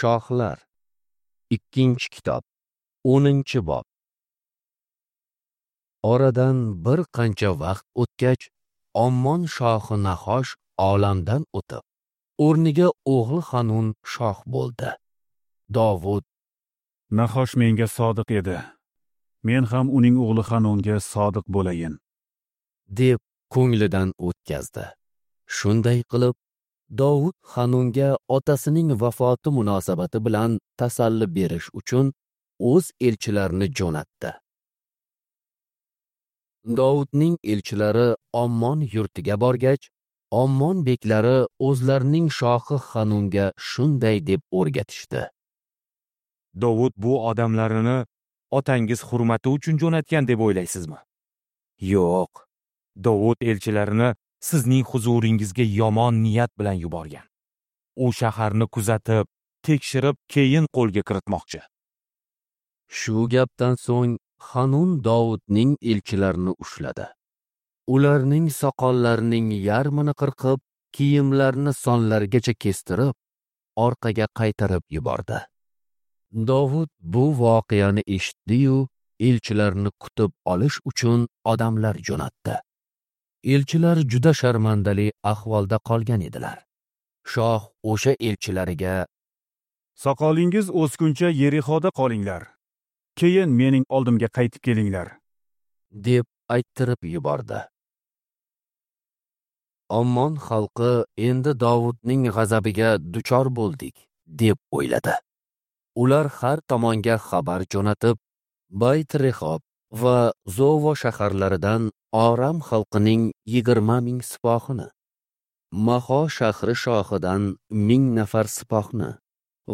Shohlar. 2-kitob, 10-bob. Oradan bir qancha vaqt o'tgach, Ommon shohi Nahosh olamdan o'tib, o'rniga o'g'li Hanun shoh bo'ldi. Dovud: Nahosh menga sodiq edi. Men ham uning o'g'li Hanunga sodiq bo'layin, deb ko'nglidan o'tkazdi. Shunday qilib, Dovud Hanunga otasining vafoti munosabati bilan tasalli berish uchun o'z elchilarini jo'natdi. Dovudning elchilari Ommon yurtiga borgach, Ommon beklari o'zlarining shohi Hanunga shunday deb o'rgatishdi: Dovud bu odamlarini otangiz hurmati uchun jo'natgan deb o'ylaysizmi? Yo'q. Dovud elchilarini sizning huzuringizga yomon niyat bilan yuborgan. U shaharni kuzatib, tekshirib, keyin qo'lga kiritmoqchi. Shu gapdan so'ng Hanun Dovudning elchilarini ushladi. Ularning soqollarining yarmini qirqib, kiyimlarini sonlarigacha kestirib, orqaga qaytarib yubordi. Dovud bu voqeani eshitdi-yu, elchilarni kutib olish uchun odamlar jo'natdi. Elchilar juda sharmandali ahvolda qolgan edilar. Shoh o'sha elchilariga: Soqolingiz o'sguncha Yerixoda qolinglar. Keyin mening oldimga qaytib kelinglar, deb ayttirib yubordi. Ommon xalqi endi Dovudning g'azabiga duchor bo'ldik, deb o'yladi. Ular har tomonga xabar jo'natib, Bayt-Rehob va Zovo shaharlaridan Oram xalqining 20 ming sipohini, Maho shahri shohidan 1000 nafar sipohni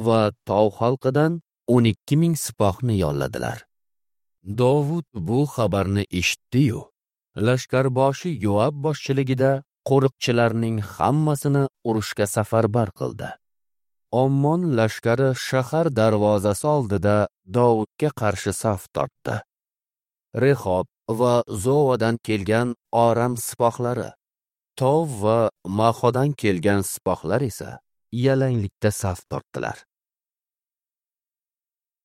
va Tov xalqidan 12 ming sipohni yolladilar. Dovud bu xabarni eshitdi-yu, lashkarboshi Yoab boshchiligida qo'riqchilarning hammasini urushga safarbar qildi. Ommon lashkari shahar darvozasi oldida Dovudga qarshi saf tortdi. Rehob va Zovadan kelgan Oram sipohlari, Tov va Mahodan kelgan sipohlar esa yalanglikda saf tortdilar.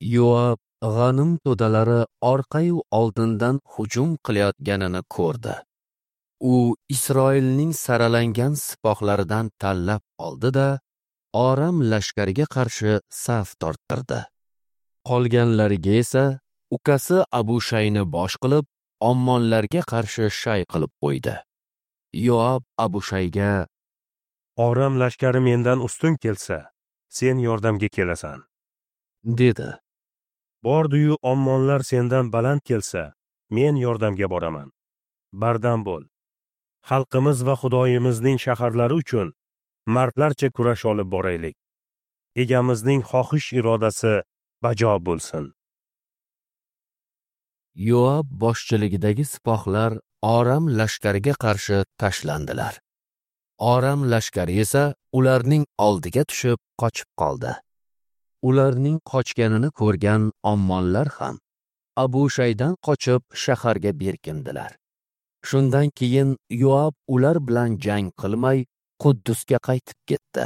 Yoab g'anim to'dalari orqayu oldindan hujum qilayotganini ko'rdi. U Isroilning saralangan sipohlaridan tanlab oldi-da, Oram lashkariga qarshi saf torttirdi. Qolganlariga esa ukasi Abushayni bosh qilib, Ommonlarga qarshi shay qilib qo'ydi. Yoab Abushayga: Oram lashkari mendan ustun kelsa, sen yordamga kelasan, dedi. Bordi-yu Ommonlar sendan baland kelsa, men yordamga boraman. Bardam bo'l. Xalqimiz va Xudoyimizning shaharlari uchun mardlarcha kurash olib boraylik. Egamizning xohish irodasi bajo bo'lsin. Yoab boshchiligidagi sipohlar Oram lashkariga qarshi tashlandilar. Oram lashkari esa ularning oldiga tushib qochib qoldi. Ularning qochganini ko'rgan Ommonlar ham Abushaydan qochib shaharga berkindilar. Shundan keyin Yoab ular bilan jang qilmay Quddusga qaytib ketdi.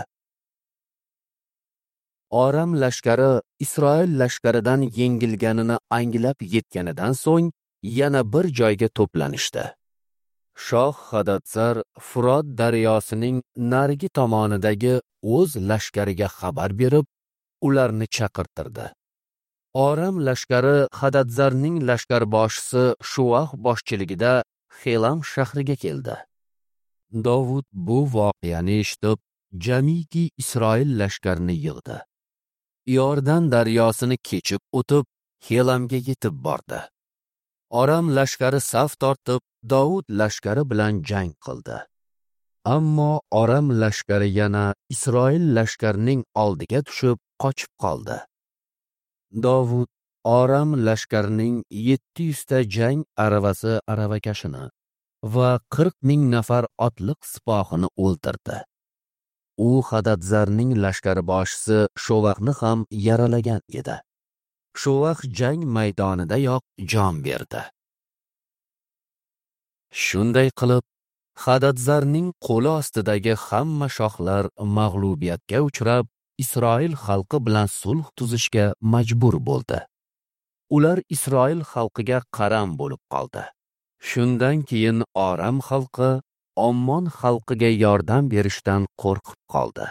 Oram lashkari Isroil lashkaridan yengilganini anglab yetganidan so'ng yana bir joyga to'planishdi. Shoh Hadadsar Furot daryosining narigi tomonidagi o'z lashkariga xabar berib, ularni chaqirtirdi. Oram lashkari Hadadzarning lashkarboshisi Shuah boshchiligida Xelam shahriga keldi. Dovud bu voqeani eshitib, jamiki Isroil lashkarini yig'di. Iordan daryosini kechib o'tib, Xelamga yetib bordi. Oram lashkari saf tortib, Dovud lashkari bilan jang qildi. Ammo Oram lashkari yana Isroil lashkarining oldiga tushib qochib qoldi. Dovud Oram lashkarining 700 ta jang aravasi aravakashini va 40 ming nafar otliq sipohini o'ldirdi. U Hadadzarning lashkarboshisi Shovahni ham yaralagan edi. Shovah jang maydonidayoq jon berdi. Shunday qilib, Hadadzarning qo'li ostidagi hamma shohlar mag'lubiyatga uchrab, Isroil xalqi bilan sulh tuzishga majbur bo'ldi. Ular Isroil xalqiga qaram bo'lib qoldi. Shundan keyin Oram xalqi Ommon xalqiga yordam berishdan qo'rqib qoldi.